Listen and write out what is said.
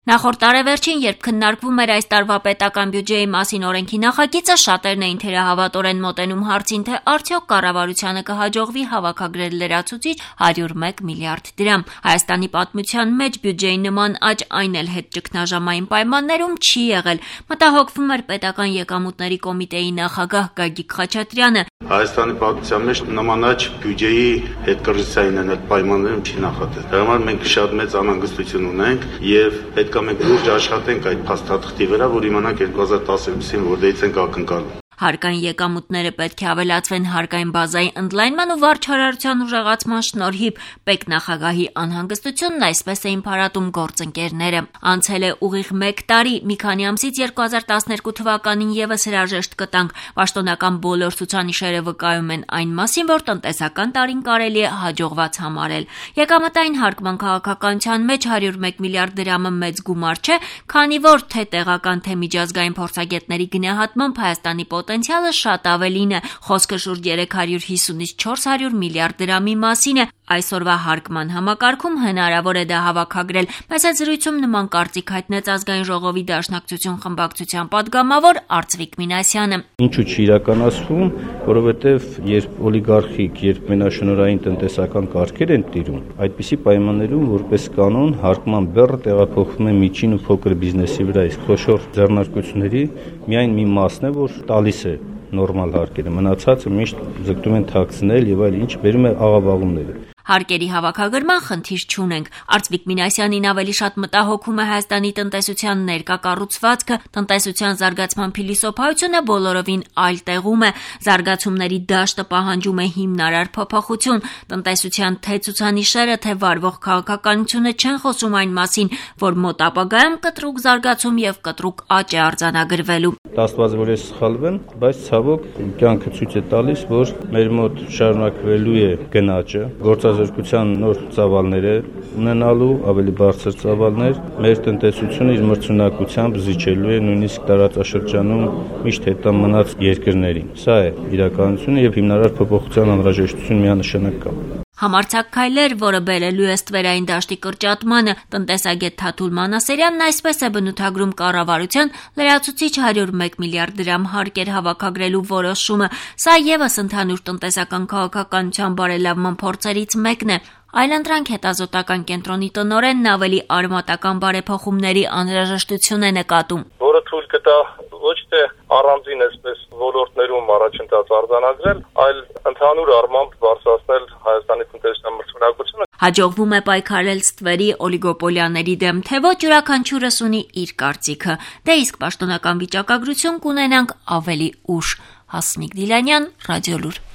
Նախորդ տարեվերջին, երբ քննարկվում էր այս տարվա պետական բյուջեի մասին օրենքի նախագիծը, շատերն էին թերահավատորեն մոտենում հարցին, թե արդյոք կառավարությանը կհաջողվի հավաքագրել լրացուցիչ 101 միլիարդ դրամ։ Հայաստանի պատմության մեջ բյուջեի նման աճ, այն էլ հետ ճգնաժամային պայմաններում չի եղել, մտահոգվում էր պետական եկամուտների կոմիտեի նախագահ Գագիկ Խաչատրյանը։ Հայաստանի պատմության մեջ նման աճ բյուջեի հետ կրթության պայմաններում չի նախատեսվել։ Դա համար մենք շատ մեծ անհանգստություն ունենք եւ պետք է մենք լուրջ աշխատենք այդ փաստաթղթի վրա, որ իմանանք 2012-ին որտեղից ենք ակնկալում։ Հարկային եկամուտները պետք է ավելացվեն հարկային բազայի ընդլայնման ու վարչարարության ուժեղացման շնորհիվ, ՊԵԿ նախագահի անհանգստությունն այսպես էին փարատում գործընկերները։ Անցել է ուղիղ 1 տարի, մի քանի ամսից 2012 թվականին եւս հրաժեշտ կտանք։ Պաշտոնական բոլոր ցուցանիշերը վկայում են այն մասին, որ տնտեսական տարին կարելի է հաջողված համարել։ Եկամտային հարկման քաղաքականության մեջ 101 միլիարդ դրամը մեծ գումար չէ, քանի որ թե տեղական, թե միջազգային փորձագետների գնահատմամբ Հայաստանի պոտենցիալը շատ ավելին է, խոսքը շուրջ 350-ից 400 միլիարդ դրամի մասին է։ Այսօրվա հարկման համակարգում հնարավոր է դա հավաքագրել։ Մեծ զրույցում նման կարծիք հայտնեց Ազգային ժողովի Դաշնակցություն խմբակցության պատգամավոր Արծվիկ Մինասյանը։ Ինչու՞ չի իրականացվում, որովհետև երբ օլիգարխիկ, երբ մենաշնորհային տնտեսական կարգեր են տիրում, այդպիսի պայմաններում որպես կանոն հարկման բեռը տեղափոխվում է միջին ու փոքր բիզնեսի վրա, իսկ խոշոր ձեռնարկությունների միայն մի մասն է, որ տալիս է նորմալ հարկերը, մնացածը միշտ ձգտում են թաքցնել եւ այլ, ինչ բերում է աղավաղումները։ Հարկերի հավաքագրման խնդիր չունենք։ Արծվիկ Մինասյանին ավելի շատ մտահոգում է Հայաստանի տնտեսության ներկա կառուցվածքը, տնտեսության զարգացման փիլիսոփայությունը բոլորովին այլ տեղում է։ Զարգացումների դաշտը պահանջում է հիմնարար փոփոխություն։ Տնտեսության թե ցուցանիշերը, թե վարվող քաղաքականությունը չեն խոսում այն մասին, որ մոտ ապագայում կտրուկ զարգացում եւ կտրուկ աճ է արձանագրվելու։ Աստված որ ես սխալվեմ, բայց ցավոք կյանքը ցույց է տալիս, որ մեր մոտ շարունակվելու է գնաճը, գործազրկության նոր ծավալներ է ունենալու, ավելի բարձր ծավալներ, մեր տնտեսությունը իր մրցունակությամբ զիջելու է նույնիսկ տարածաշրջանում միշտ հետա մնաց երկրներին։ Սա է իրականությունը եւ հիմնարար փոփոխության անհրաժեշտություն միանշանակ կա։ Համարձակ քայլեր, որը բերելու է ստվերային դաշտի կրճատմանը, տնտեսագետ Թաթուլ Մանասերյանն այսպես է բնութագրում կառավարության լրացուցիչ 101 միլիարդ դրամ հարկեր հավաքագրելու որոշումը։ Սա եւս ընդհանուր տնտեսական քաղաքականության բարելավման փորձերից մեկն է։ Այլընտրանք հետազոտական կենտրոնի տնօրենն ավելի արմատական բարեփոխումների անհրաժեշտություն է նկատում։ Որը թույլ կտա ոչ թե առանձին այսպես ոլորտներում առաջընթաց արձանագրել, այլ ընդհանուր առմամբ բարձրացնել Հայաստանի տնտեսության մրցունակությունը։ Հաջողվում է պայքարել ստվերի օլիգոպոլիաների դեմ, թե ոչ յուրաքանչյուրս ունի իր կարծիքը։ Դե իսկ պաշտոնական վիճակագրություն կունենանք ավելի ուշ։ Հասմիկ Դիլանյան, Ռադիոլուր։